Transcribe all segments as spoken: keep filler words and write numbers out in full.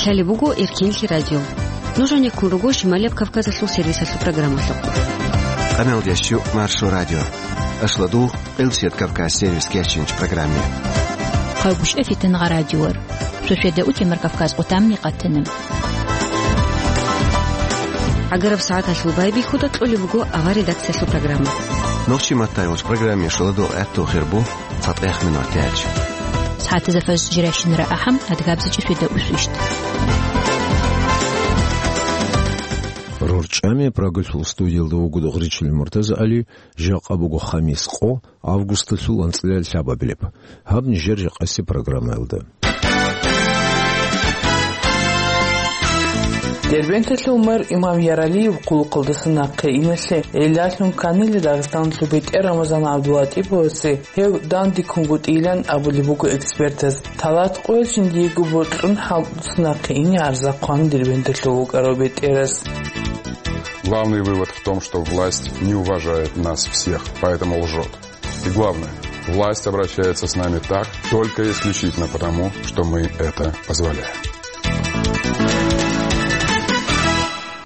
Лъалеб буго Эркенлъи радио. Нуж гьанеккун руго Шималияб Кавказалъул сервисалъул программалъухъ. Къамелдеш чу Маршо радио. Ашладу Къилсият Кавказ сервис кечинч программе. Хъагушев Фитангъа радиор. Шошеда утемар Кавказ къутамни къатана. ГӀагараб сагӀаталъул байбихьуда кьолеб буго авар редакциялъул программа. Нохчи маттайгъуч программе шоладу гӀатту хирбу. ЦатӀехъ минутач. СагӀатазда фажр жирашинра ахӀам, адгабзичӀи шведа усвищт. РорчӀами Прагалъул студиялда вуго Дугъричил МуртазагӀали, жакъа буго хамис къо, августалъул анцӀила лъабабилеб. Гьаб нижер жакъаси программаялда. Дербенталъул мэр Имам Яралиев хъулухъалдаса нахъе иналъе гӀиллалъун кканила Дагъистаналъул бетӀер Рамазан ГӀабдулатӀиповасе гьев дандеккунгутӀилан абулеб буго экспертаз. Талат къоялъ жиндиего бокьун хӀалтӀуса нахъе ине гӀарза хъван Дербенталъул вукӀарав бетӀерас. Главный вывод в том, что власть не уважает нас всех, поэтому лжет. И главное, власть обращается с нами так, только исключительно потому, что мы это позволяем.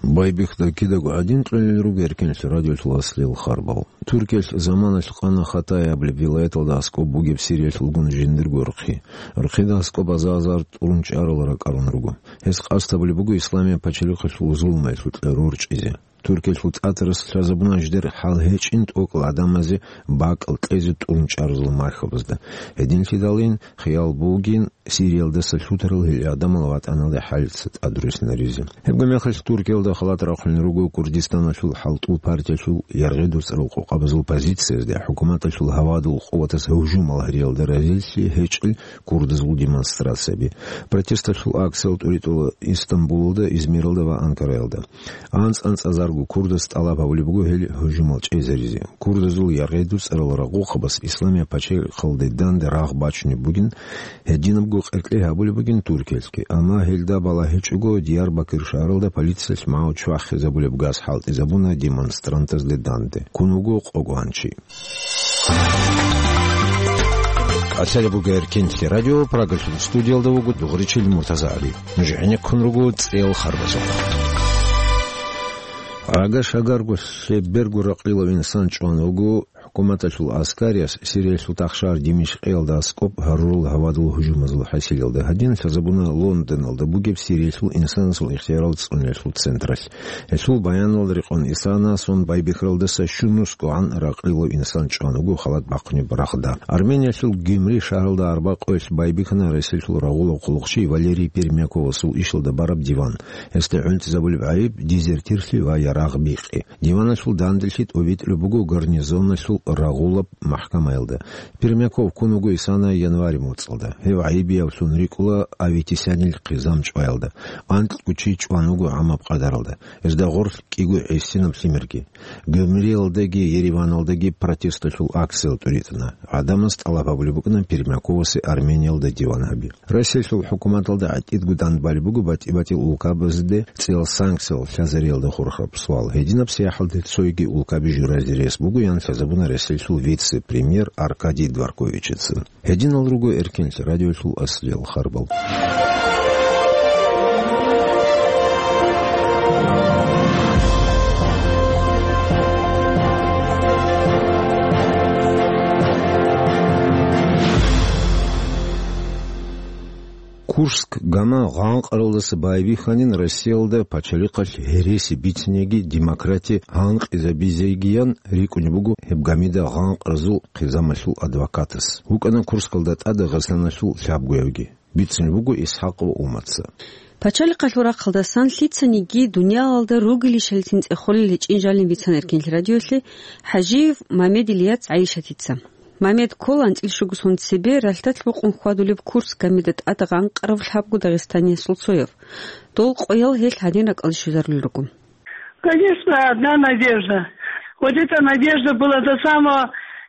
Байбихьуда кидаго гӀадин кьолел руго Эркенлъи радиолъул аслияб харбал. Туркиялъ заманалъ къана Хатаяб вилаяталда аскӀоб бугеб Сириялъулгун жиндирго рхъи. Рхъида аскӀоб азар-азар тӀурун чӀарал ракӀарун руго. Гьес къасд гьабулеб буго Исламияб пачалихъалъул зулмаялъукьа рорчӀизе. Туркиялъул тӀатарас лъазабуна жидер хӀал гьечӀин тӀокӀал гӀадамазе бакӀал кьезе тӀурун чӀарал мархабазда. Гьединлъидалин хиял бугин Сириялдаса лъутарал гьел гӀадамал ватӀаналде хӀалица тӀадруссинаризе. Гьебго мехалъ Туркиялда халат рахъулел руго Курдистаналъул хӀалтӀул партиялъул яргъи дуцӀарал къокъабазул позициязде хӀукуматалъул гьавадул къуватаз гьужумал гьариялда разилъи гьечӀел курдазул демонстрацияби. Протесталъул акциял тӀуритӀула Истамбулалда, Измиралда ва Анкараялда. АнцӀ-анцӀазарго курдас тӀалаб гьабулеб буго гьел гьужумал чӀезаризе. Курдазул яргъи дуцӀарал рагъухъабаз Исламияб пачалихъалде данде рагъ бачунеб бугин, гьединабго къеркьей гьабулеб бугин Туркиялъги. Амма гьелда балагьичӀого Диярбакир шагьаралда полициялъ магӀу чвахизабулеб газ хӀалтӀизабуна демонстрантазде данде. Ккун вуго къо гванчи. Лъалеб буго Эркенлъи радио, Прагалъул студиялда вуго Дугъричил МуртазагӀали. Нуж гӀенеккун руго цӀел харбазухъ. Ага шагарго лъеберго ракъилав инсан чӀван вуго хӀукуматалъул аскарияс Сириялъул тахшагьар Димишкъиялда аскӀоб гьарурал гьавадул гьужумазул хӀасилалда. Гьадин лъазабуна Лондоналда бугеб Сириялъул инсанасул ихтиярал цӀуниялъул централъ. Гьелъул баяналда рекъон Исана сон байбихьаралдаса щунусгогӀан ракъилав инсан чӀван вуго халат бахъунеб рагъда. Армениялъул Гюмри шагьаралда арба къоялъ байбихьана Россиялъул рагъулав хъулухъчи Валерий Пермяковасул ишалда бараб диван. Гьесда гӀунтӀизабулеб гӀайиб дезертирлъи ва ярагъ бикъи. Диваналъул данделъи тӀобитӀулеб буго гарнизоналъул рагъулаб махкамаялда. Пермяков ккун вуго Исана январь моцӀалда. Гьев гӀайибиявлъун рикӀкӀула Аветисянил хъизан чӀваялда. Анкьго чи чӀван вуго гӀамаб къадаралда. Гьезда гъорлъ кӀиго гӀисинаб лъимерги. Гюмриялдаги Ереваналдаги протесталъул акциял тӀуритӀана. ГӀадамаз тӀалаб гьабулеб букӀана Пермяковасе Армениялда диван гьаби. Россиялъул хӀукуматалда гӀатӀидго данбалеб буго батӀи-батӀиял улкабазде цӀиял санкциял лъазариялда хурхараб суал. Гьединаб сияхӀалде цойги улкаби журазе рес буго, ян лъазабуна Россиялъул вице-премьер Аркадий Дворковичица. Гьединал руго Эркенлъи радиолъул аслиял харбал. Курск гама гъанкъаралдаса байбихьанин Россиялда пачалихъалъ гьереси бициниги демократи гьанкъизабизегиян рикӀкӀунеб буго гьеб гамида гъанкъразул хъизамалъул адвокатас. ВукӀана Курскалда тӀад Дагъистаналъул лъабгоявги. Бицунеб буго Исхакъ ва Умаца. Пачалихъалъул рахъалдасан лъицаниги дуниялалда ругелищалицин цӀехолел гьечӀин жалин бицан Эркенлъи радиолъе ХӀажиев Мамед Ильяц ГӀайшатица. Мамед ккола анцӀил щуго сон цебе ралъдалъ букъун хьвадулеб Курск гамида тӀад гъанкъарав лъабго дагъистаниясул цояв. Дол къоял гьелъ гьадин ракӀалде щвезарулел руго. Конечно, одна надежда. Вот эта надежда была до самого,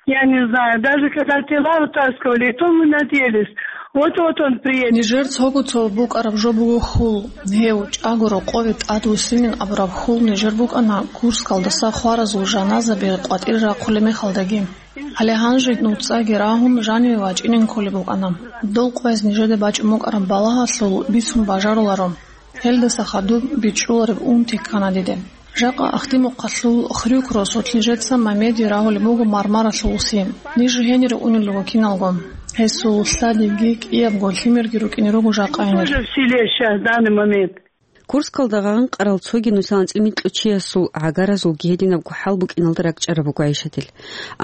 я не знаю, даже когда тела вытаскивали, и то мы надеялись, вот-вот он приедет. Нижер цого цо букӀараб жо буго хьул. Гьев чӀаго рокъове тӀадвуссинин абураб хьул нижер букӀана Курскалдаса хваразул жаназаби къватӀир рахъулеб мехалдаги. Гьале гьанже нуцӀаги рагьун жаниве вачӀинин кколеб букӀана. Дол къвез нижеда бачӀун букӀараб балагьалъул бицун бажаруларо. Гьелдаса хадуб бичӀчӀулареб унти ккана диде. Жакъа Ахдимухъалъул Хрюк росулъ нижеца Мамеди рагьулеб буго Мармаралъул уси. Ниж гьенире унел руго киналго. Гьесул лъадиги кӀиябго лъимерги рукӀине руго жакъа гьенир. Тоже в селе щас, в данный момент. Курскалда гъанкъарал цоги нусал анцӀил микьучиясул гӀагаразулги гьединабго хӀал букӀиналда ракӀчӀараб буго ГӀайшатил.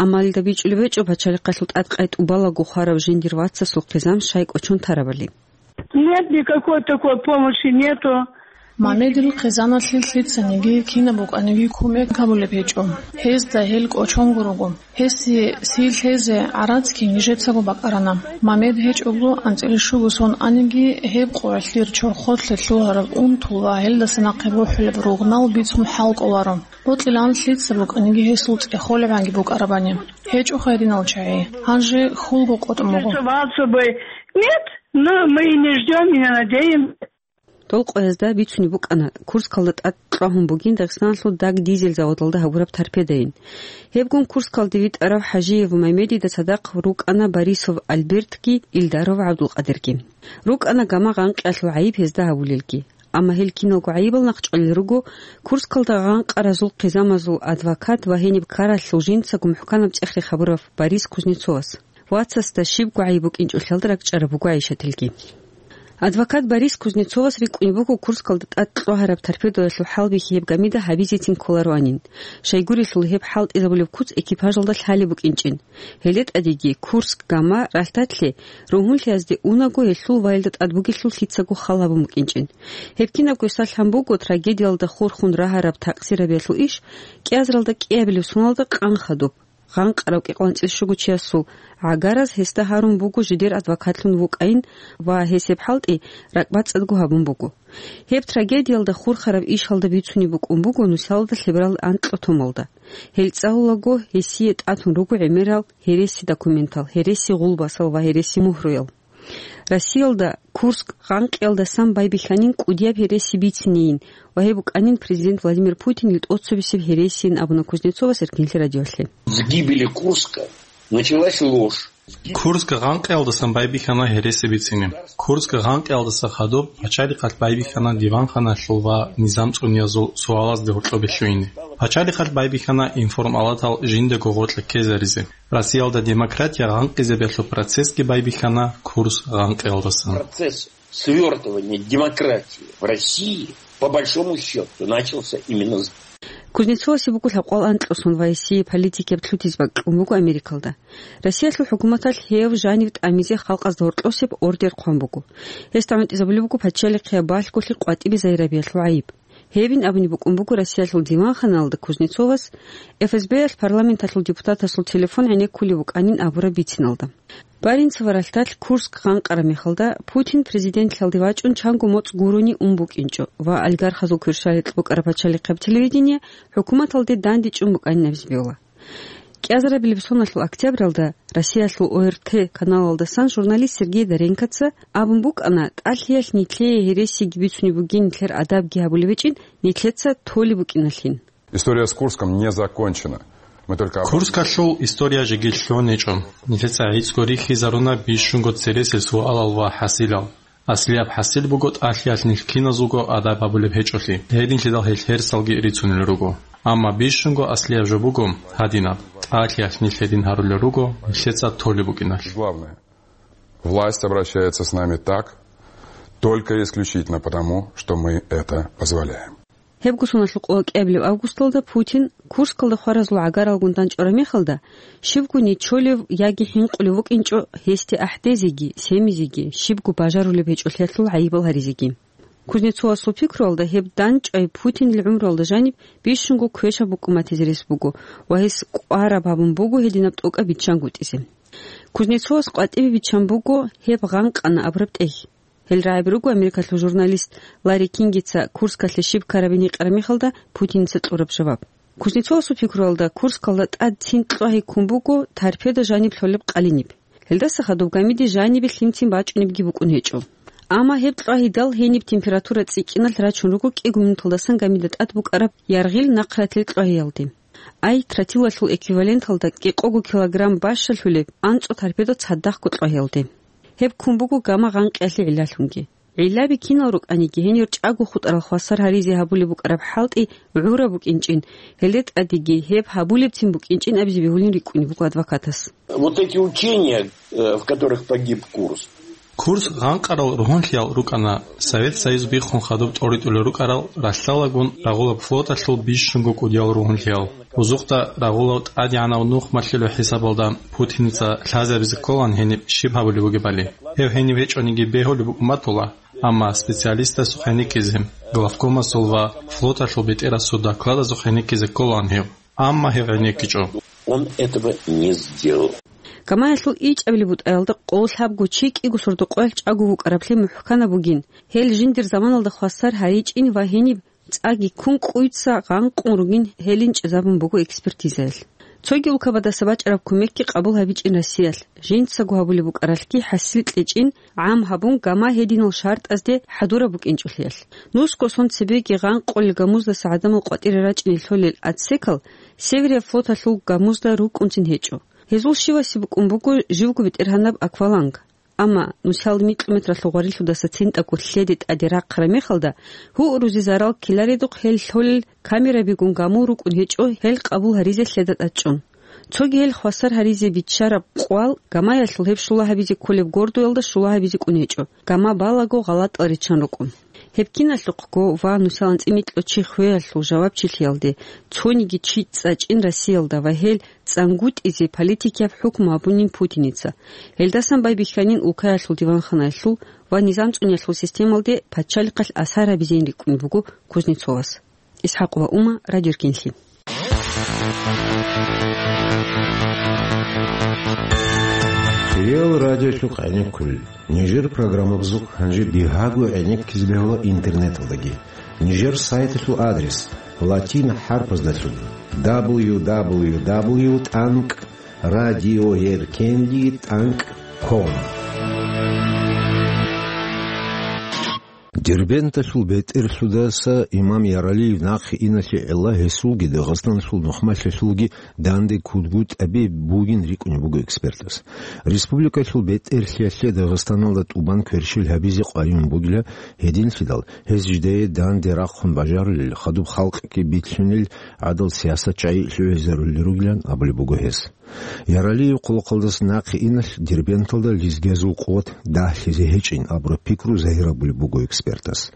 Амма гьелда бичӀчӀулеб гьечӀо пачалихъалъул тӀадкъай тӀубалаго хварав жиндир вацасул хъизан щай кӀочон тарабали. Нет, никакой такой помощи нету. Мамедил хъизаналъе лъицаниги кинаб букӀаниги кумек гьабулеб гьечӀо. Гьезда гьел кӀочонго руго. Гьесие сий лъезе гӀарацги нижецаго бакӀарана. Мамед гьечӀого анцӀила щуго сон аниги, гьеб къо гӀелъир чорхолъе лъугьараб унтул ва гьелдаса нахъе бухӀулеб ругънал бицун хӀал кӀоларо. Бокьилан лъица букӀаниги гьесул цӀехолебгӀанги букӀарабани. ГьечӀо хайринал чагӀи. Гьанже хьулго къотӀун буго. Нет, но мы и не ждём, и не надеемся. Дол къоязда бицунеб букӀана, Курскалда тӀад кьвагьун бугин Дагъистаналъул даг дизель заводалда гьабураб торпедайин. Гьебгун Курскалде витӀарав ХӀажиев Мамедида цадахъ рукӀана Борисов Альбертги Илдаров ГӀабдулкъадирги. РукӀана гама гъанкъиялъул гӀайиб гьезда гьабулелги. Амма гьел киналго гӀайибал нахъчӀвалел руго Курскалда гъанкъаразул хъизамазул адвокат ва гьениб ккаралъул жинцаго мухӀканаб цӀех-рех гьабурав Борис Кузнецовас. Вацасда щибго гӀайиб букӀинчӀолъиялда ракӀчӀараб буго ГӀайшатилги. Адвокат Борис Кузнецовас рикӀкӀунеб буго Курскалда тӀад кьвагьараб торпедоялъул хӀалбихьи гьеб гамида гьабизецин кколароанин, щайгурелъул гьеб хӀалтӀизабулеб куц экипажалда лъалеб букӀинчӀин. Гьеле тӀадеги Курск гама ралъдалъе ругьунлъиязде унаго гьелъул ваялда тӀад бугелъул лъицаго хал гьабун букӀинчӀин. Гьеб кинабго салъан буго трагедиялда хурхун рагьараб такъсирабиялъул иш кӀиазаралда кӀиабилеб соналда къан хадуб. Гъанкъарав кӀикъоялда анцӀила щуго чиясул гӀагараз гьесда гьарун буго жидер адвокатлъун вукӀайин ва гьес гьеб хӀалтӀи ракӀбацӀцӀадго гьабун буго. Гьеб трагедиялда хурхараб ишалда бицунеб букӀун буго нусалда лъеберал анкьго томалда. Гьел цӀалулаго гьесие тӀатун руго гӀемерал гьереси документал, гьереси гъулбасал ва гьереси мугьруял. Россиялда Курск гъанкъиялдасан байбихьанин кӀудияб гьереси бицинейин ва гьеб букӀанин президент Владимир Путинил тӀоцебесеб гьересиин абуна Кузнецовас Эркинлъи радиолъе. С гибели Курска началась ложь. Курск гъанкъиялдасан байбихьана гьереси бицине. Курск гъанкъиялдаса хадуб пачалихъалъ байбихьана диванханалъул ва низам цӀуниязул суалазде гьоркьобе лъугьине. Пачалихъалъ байбихьана информалатал жиндаго гъоркье ккезаризе. Россиялда демократия гъанкъизабиялъул процессги байбихьана Курск гъанкъиялдасан. Процесс свёртывания демократии в России, по большому счёту, начался именно с... Кузнецовасе буго лъабкъоялда анкьго сон ва гьесие политикияб лъутизе бакӀ кьун буго Америкалда. Россиялъул хӀукуматалъ гьев жанив тӀамизе халкъазда гьоркьосеб ордер хъван буго. Гьесда гӀунтӀизабулеб буго пачалихъияб балъголъи къватӀибе загьирабиялъул гӀайиб. Гьебин абуни букӀун буго Россиялъул диванханалда Кузнецовас, ФСБ-ялъ парламенталъул депутатасул телефон гӀенеккулеб букӀанин абураб бициналда. Баренцево ралъдалъ Курск гъанкъараб мехалда Путин президентлъалде вачӀун чанго моцӀ гурони ун букӀинчӀо ва олигархазул кверщаликь букӀараб пачалихъаб телевидение хӀукуматалде дандечӀун букӀанин абизе бегьула. КӀиазарабилеб соналъул октябралда Россиялъул ОРТ каналалдасан журналист Сергей Доренкоца абун букӀана, тӀалъиялъ нилъее гьересиги бицунеб бугин, нилъер адабги гьабулеб гьечӀин, нилъеца толеб букӀиналъин. История с Курском не закончена. Мы только... Курскалъул история жеги лъугӀун гьечӀо. Нилъеца гӀицӀго рихьизаруна бищунго цересел суалал ва хӀасилал. Аслияб хӀасил буго тӀалъиялъ нилъ киназулго адаб гьабулеб гьечӀолъи. Гьединлъидал гьел гьерсалги рицунел руго. Амма бищунго аслияб жо буго гьадинаб: тӀалъиялъ нилъ гьедин гьарулел руго, нилъеца толеб букӀиналъ. Главное. Власть обращается с нами так, только и исключительно потому, что мы это позволяем. Гьебго соналъул къо кӀиабилеб августалда Путин Курскалда хваразул гӀагаралгун дандчӀвараб мехалда, щибго нечолев яги хӀинкъулев вукӀинчӀо гьесде ахӀдезеги, семизеги, щибго бажарулеб гьечӀолъиялъул гӀайибал гьаризеги. Кузнецовасул пикруялда, гьеб дандчӀвай Путинил гӀумруялда жаниб бищунго квешаб букӀун батизе рес буго ва гьес кӀвараб гьабун буго гьединаб тӀокӀаб биччангутӀизе. Кузнецовас къватӀибе биччан буго гьеб гъанкъана абураб тӀехь. Гьел рагӀаби руго Америкалъул журналист Ларри Кингица Курскалъе щиб ккарабин гьикъараб мехалда Путиница кьураб жаваб. Кузнецовасул пикруялда, Курскалда тӀад цин кьвагьи ккун буго торпеда жаниб лъолеб къалиниб. Гьелдаса хадуб гамиде жанибе лъимцин бачӀунебги букӀун гьечӀо. Амма гьеб кьвагьидал гьениб температура цӀикӀкӀиналъ рачун руго кӀиго минуталдасан гамида тӀад букӀараб яргъил нахъратил кьвагьиялде. Ай тротилалъул эквиваленталда кӀикъого килограмм бащалъулеб анцӀу торпедо цадахъго кьо гьелде. Гьеб ккун буго гамма гъанкъиялъе гӀиллалъунги. ГӀиллаби кинал рукӀаниги, гьенир чӀаго хутӀарал хвасар гьаризе гьабулеб букӀараб хӀалтӀи гӀураб букӀинчӀин, гьелде тӀадеги гьеб гьабулебцин букӀинчӀин абизе бегьулин рикӀкӀунеб буго адвокатас. Вот эти учения, э, в которых погиб Курск. Курск гъанкъарал ругьунлъиял рукӀана, Совет Союз биххун хадуб тӀоритӀулел рукӀарал ралъдалгун рагъулаб флоталъул бищунго кӀудиял ругьунлъиял. Узухъда рагъулав тӀадегӀанав нухмалъулев хӀисабалда Путиница лъазабизе кколаан гьениб щиб гьабулеб бугебали. Гьев гьениб гьечӀониги бегьулеб букӀун батула, амма специалистасухъ гӀенеккизе, главкомасул ва флоталъул бетӀерасул докладазухъ гӀенеккизе кколаан гьев, амма гьев гӀенеккичӀо. Он этого не сделал. Гамаялъул ичӀабилеб бутӀаялда къоло лъабго чи кӀиго сордо-къоялъ чӀаго вукӀараблъи мухӀканаб бугин, гьел жиндир заманалда хвасар гьаричӀин ва гьениб цӀаги ккун кӀуйца гъанкъун ругин гьелин чӀезабун буго экспертизаялъ. Цоги улкабадаса бачӀараб кумекги къабул гьабичӀин Россиялъ, жинцаго гьабулеб букӀаралъги хӀасил кьечӀин гӀам гьабун гама гьединал шартӀазде хӀадураб букӀинчӀолъиялъ. Нусго сон цебеги гъанкъулел гамуздаса гӀадамал къватӀире рачӀине лъолел отсекал Северия флоталъул гамузда рукӀунцин гьечӀо. Гьезул щивасе букӀун буго живго бетӀергьанаб акваланг. Амма нусал микьу метралъул гъварилъудаса цинтӀаго лъеде тӀаде рахъараб мехалда, гьурузе зарал ккеларедухъ гьел лъолел камерабигун гамул рукӀун гьечӀо гьел къабул гьаризе лъеда тӀадчӀун. Цоги гьел хвасар гьаризе биччараб къвал гамаялъул гьеб щула гьабизе кколеб гордоялда щула гьабизе кӀун гьечӀо, гама балаго гъалатӀал риччан рукӀун. Гьеб киналъухъго ва нусал анцӀила микьу чи хвеялъул жавабчилъиялде цониги чи цӀачӀин Россиялда ва гьел цӀангутӀизе политикияб хӀукму гьабунин Путиница. Гьелдасан байбихьанин улкаялъул диванханаялъул ва низам цӀуниялъул системалде пачалихъалъ асар гьабизейин рикӀкӀунеб буго Кузнецовас. ИсхӀакъ ва Ума, Радио Эркенлъи. Хириял радиолъухъ гӀенеккулел. Нижер программабазухъ гьанже бигьаго гӀенеккизе бегьула интернеталдаги. Нижер сайталъул адрес латин хӀарпаздалъун: дабл ю дабл ю дабл ю тӀанкӀ радиоеркенли тӀанкӀ ком. Дербенталъул бетӀерлъудаса имам Яралиев нахъе иналъе гӀелла гьесулги Дагъистаналъул нухмалъулги данде ккунгутӀаби бугин рикӀкӀунеб буго экспертас. Республикалъул бетӀерлъиялъе Дагъистаналда тӀубан кверщел гьабизе къваригӀун бугила, гьединлъидал гьез жидее данде рахъун бажарулел, хадуб халкъги битлъунел гӀадал сиясат чагӀи лъугӀизарулел ругилан абулеб буго гьес. Яралиев хъулухъалдаса нахъе иналъ Дербенталда лезгиязул къуват дагьлъизе гьечӀин абураб пикру загьир гьабулеб буго экспертас.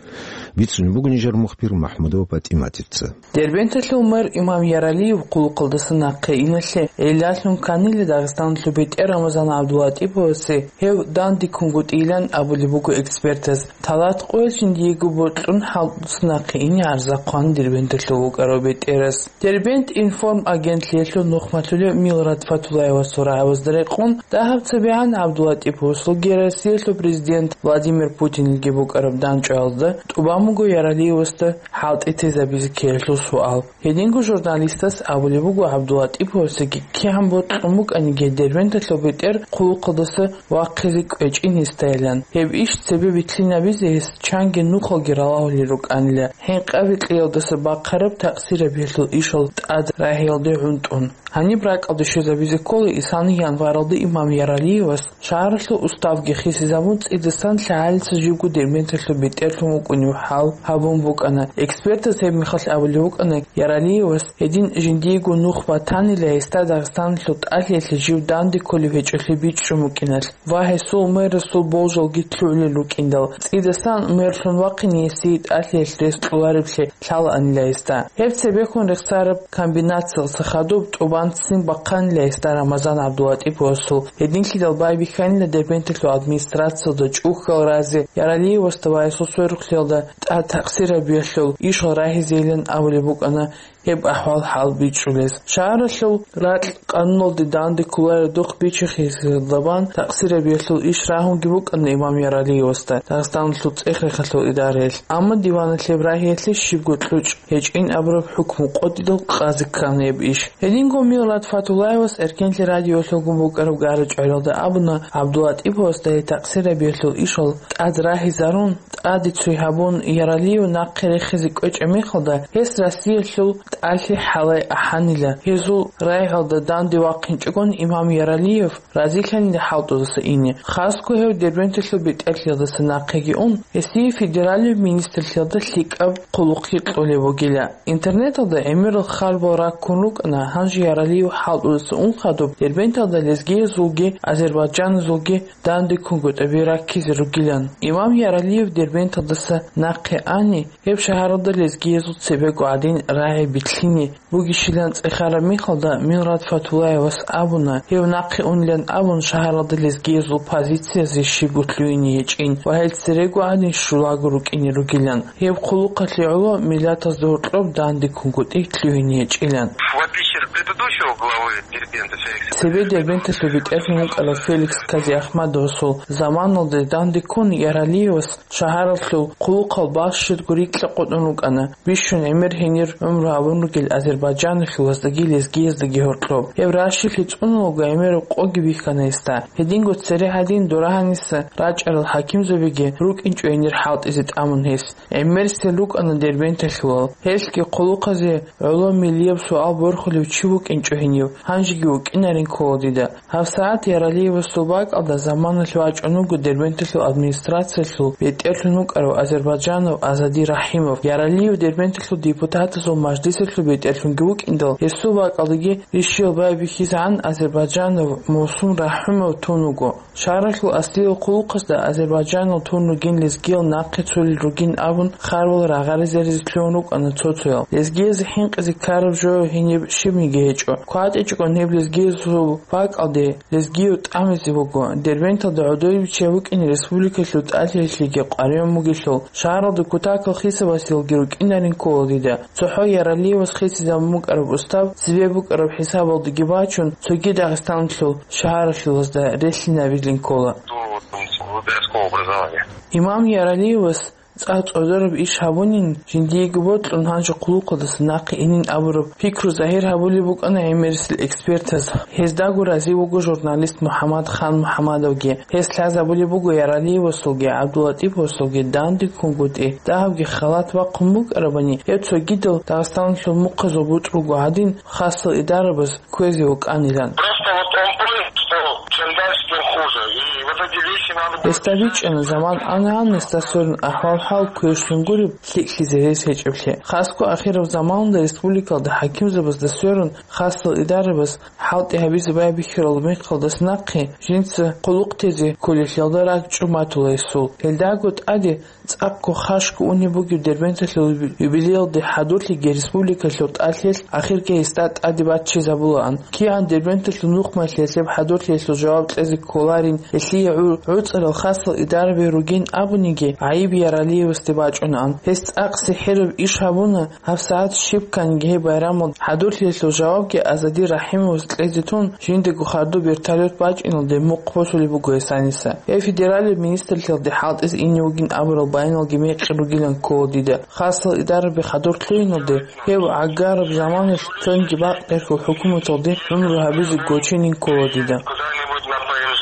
Бицунеб буго нижер мухбир МахӀмудова ПатӀиматица. Дербенталъул мэр имам Яралиев хъулухъалдаса нахъе иналъе гӀиллалъун кканила Дагъистаналъул бетӀер Рамазан ГӀабдулатӀиповасе гьев данде ккунгутӀилан абулеб буго экспертас. Талат къоялъ жиндиего бокьун хӀалтӀуца нахъе ине гӀарза хъван Дербенталъув вукӀарав бетӀерас. Дербент информ агентлъиялъул нухмалъулев Милрат Фатулаевасул рагӀабазда рекъон, дагьаб цебегӀан ГӀабдулатӀиповасулги Россиялъул президент Владимир Путинилги букӀараб дандчӀваязда тӀубан буго Яралиевасда хӀалтӀи тезабизе ккеялъул суал. Гьединго журналистас абулеб буго ГӀабдулатӀиповасеги кигӀан бокьун букӀаниги Дербенталъул бетӀер хъулухъалдаса вахъизе кӀвечӀин гьесдайилан. Гьеб иш цебе битлъинабизе гьес чанги нухалги ралагьулел рукӀанила, хӀинкъаби кьеялдаса бахъараб такъсирабиялъул ишал тӀад рагьиялде гӀунтӀун. Гьаниб ракӀалде щвезабизе ккола исални январалда имам Яралиевас шагьаралъул уставги хисизабун, цӀидасан лъагӀалица живго Дербенталъул бетӀерлъун вукӀунев хӀал гьабун букӀана. Экспертаз гьеб мехалъ абулеб букӀана, Яралиевас гьедин жиндиего нух батанила гьесда Дагъистаналъул тӀалъиялъе жив данде кколев гьечӀолъи бичӀчӀун букӀиналъ ва гьесул мэрасул болжалги лъугӀулел рукӀиндал, цӀидасан мэрлъун вахъине гьесие тӀалъиялъ рес кьолареблъи лъалаанила гьесда. Гьеб цебехун рехсараб комбинациялъа хадуб тӀубан ццин бахъанила гьесда Рамазан ГӀабдулатӀиповасул. Гьединлъидал байбихьанила Дербенталъул администрациялда чӀухьал разе Яралиевасда ва гьесул сверухълъиялда тӀад такъсирабиялъул ишал рагьизейилан абулеб букӀана гьеб ахӀвал-хӀал бичӀчӀулес. Шагьаралъул ракь къануналде данде кколаредухъ бичи-хисизабан такъсирабиялъул иш рагьунги букӀана имам Яралиевасда Дагъистаналъул цӀех-рехалъул идараялъ, амма диваналъ гьеб рагьиялъе щибго кьучӀ гьечӀин абураб хӀукму къотӀидал къазе ккана гьеб иш. Гьединго Милрат Фатулаевас Эркенлъи радиоялъулгун букӀараб гара-чӀваралда абуна, ГӀабдулатӀиповасда гьей такъсирабиялъул ишал тӀад рагьизарун, тӀаде цой гьабун, Яралиев нахъе рехизе кӀвечӀеб мехалда, гьес Россиялъул ТӀалъи хӀалай ахӀанила. Гьезул рагӀалда данде вахъинчӀогон имам Яралиев разилъанила хӀалтӀудаса ине. Хасго гьев Дербенталъул бетӀерлъиялдаса нахъеги ун, гьесие федералияб министрлъиялда лъикӀаб хъулухъги кьолеб бугила. Интернеталда гӀемерал харбал раккун рукӀана, гьанже Яралиев хӀалтӀудаса ун хадуб Дербенталда лезгиязулги азербайджаназулги дандеккунгутӀаби раккизе ругилан. Имам Яралиев Дербенталдаса нахъе ани, гьеб шагьаралда лезгиязул цебего гӀадин рагӀи битлъине бугищилан цӀехараб мехалда, Мират Фатуллаевас абуна, гьев нахъе унилан абун, шагьаралда лезгиязул позициязе щибго лъугьине гьечӀин ва гьел церего гӀадин щулаго рукӀине ругилан. Гьеб хъулухъалъе гӀоло миллатазда гьоркьоб дандеккунгутӀи лъугьине гьечӀилан. В отличие от предыдущего главы Дербента Феликса, цебе Дербенталъул бетӀерлъун вукӀарав Феликс Казиахмадовасул заманалде дандеккун Яралиевас шагьаралъул хъулухъал балъ щибго рикьа къотӀун рукӀана, бищун гӀемер гьенир гӀумру гьабун ругел азербайджаналъулаздаги лезгияздаги гьоркьоб. Гьеб ращилъи цӀунулго гӀемераб къоги бихьана гьесда. Гьединго цере гьадин дора гьаниса рачӀарал хӀакимзабиги рукӀинчӀо гьенир хӀалтӀизе тӀамун гьес. ГӀемерисел рукӀана Дербенталъулал. Гьелъги хъулухъазе гӀоло миллияб суал борхулев чи вукӀинчӀо гьенив, гьанжеги вукӀинарин ккола дида. ГьабсагӀат Яралиевасул бакӀалда заманалъ вачӀун вуго Дербенталъул администрациялъул бетӀерлъун вукӀарав азербайджанав Азади Рахимов. Яралиев Дербенталъул депутатазул мажлисалъул бетӀерлъунги вукӀиндал, гьесул бакӀалдаги рищиялда байбихьизегӀан азербайджанав Мусун Рахимов тун вуго. Шагьаралъул аслиял хъулухъазда азербайджанал тун ругин лезгиял нахъе цолел ругин абун, харбал рагъари-заризе лъугьун рукӀана цо-цоял. Лезгиязе хӀинкъизе ккараб жо гьениб щибниги гьечӀо. КватӀичӀогон гьеб лезгиясул бакӀалде лезгияв тӀамизе вуго. Дербенталда гӀодове биччай вукӀине республикалъул тӀалъиялъеги къваригӀун бугелъул, шагьаралда кутакал хисабасеялги рукӀинарин ккола дида. ЦохӀо Яралиевас хисизабун букӀараб устав цебе букӀараб хӀисабалдаги бачун, цоги Дагъистаналъул шагьаралъулазда релълъинабилин ккола. До, там, городского образования. Имам Яралиевас цӀакъ цӀодораб иш гьабунин, жиндиего бокьун гьанже хъулухъалдаса нахъе инин абураб пикру загьир гьабулеб букӀана гӀемерисел экспертаз. Гьездаго разив вуго журналист МухӀаммад Хан МухӀаммадовги. Гьес лъазабулеб буго Яралиевасулги ГӀабдуллатӀиповасулги дандеккунгутӀи, дагьабги халат бахъун букӀарабани, гьеб цогидал Дагъистаналъул мухъазул бутӀрулго гӀадин, хасал идарабаз кквезе вукӀанилан. Просто вот он понял, что чем дальше, тем хуже. И вот эти вещи надо было... Гьесда бичӀчӀана, заман ана-ана гьесда сверун ахӀвал-хӀал квешлъун гуреб, лъикӀлъизе рес гьечӀеблъи. Хасго ахираб заманалда республикалда хӀакимзабазда сверун хасал идарабаз хӀалтӀи гьабизе байбихьарал мехалдаса нахъе жинца хъулухъ тезе кколелъиялда ракӀчӀун батула гьесул. Гьелдаго тӀаде цӀакъго хашго унеб бугеб Дербенталъул юбилеялде хӀадурлъиги республикалъул тӀалъиялъ ахирги гьесда тӀаде баччизабулаан. КигӀан Дербенталъул нухмалъиялъ гьеб хӀадурлъиялъул жаваб кьезе кколарин, гьелъие гӀу-, гӀуцӀарал хасал идараби ругин абуниги, гӀайиб Яралиевасде бачӀунаан. Гьес цӀакъ сихӀираб иш гьабуна, гьабсагӀат щиб кканги гьеб байрамалда хӀадурлъиялъул жавабги Азади Рахимовас кьезе тун, жиндаго хадуб вертолет бачӀиналде мухъ босулеб буго гьес гьаниса. Гьеб федералияб министрлъиялде хӀалтӀизе ине вугин абурал баяналги мекъи ругилан ккола дида. Хасал идараби хадур лъугьиналде, гьев гӀагараб заманалъ цониги бакъдерхьул хӀукуматалде гӀумру гьабизе гочинин ккола дида. Куда-нибудь на П М Ж,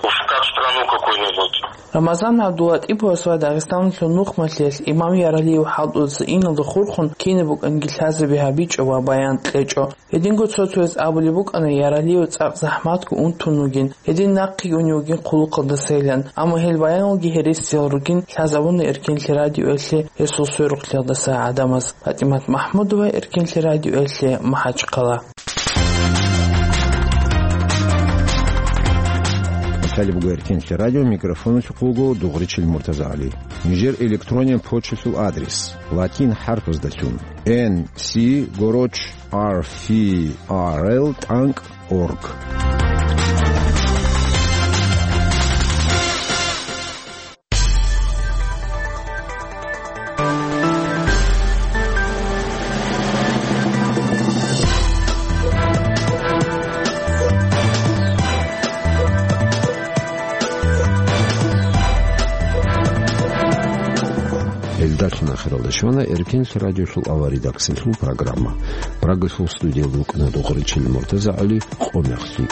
в кат-страну какую-нибудь. Рамазан ГӀабдуллатӀиповас ва Дагъистаналъул нухмалъиялъ имам Яралиев хӀалтӀудаса иналда хурхун кинаб букӀанги лъазаби гьабичӀо ва баян кьечӀо. Гьединго цо-цояз абулеб букӀана, Яралиев цӀакъ захӀматго унтун вугин, гьедин нахъеги унев вугин хъулухъалдасайилан, амма гьел баяналги гьересиял ругин лъазабуна Эркенлъи радиоялъе гьесул сверухълъиялдаса гӀадамаз. ПатӀимат МахӀмудова, Эркенлъи радиоялъе, МахӀачхъала. Лъалеб буго Эркенлъи радио, микрофоналъухъ вуго Дугъричил МуртазагӀали. Нижер электронен почталъул адрес: латин хӀарпаздалъун, Н С горочь R F R L тӀанкӀ орг. Гьелдалъун ахиралда щвана Эркенлъи радиолъул авария. Синлъул программа. Прагасул студиялда вукӀана Дугъричил МуртазагӀали. Къо мехлъи.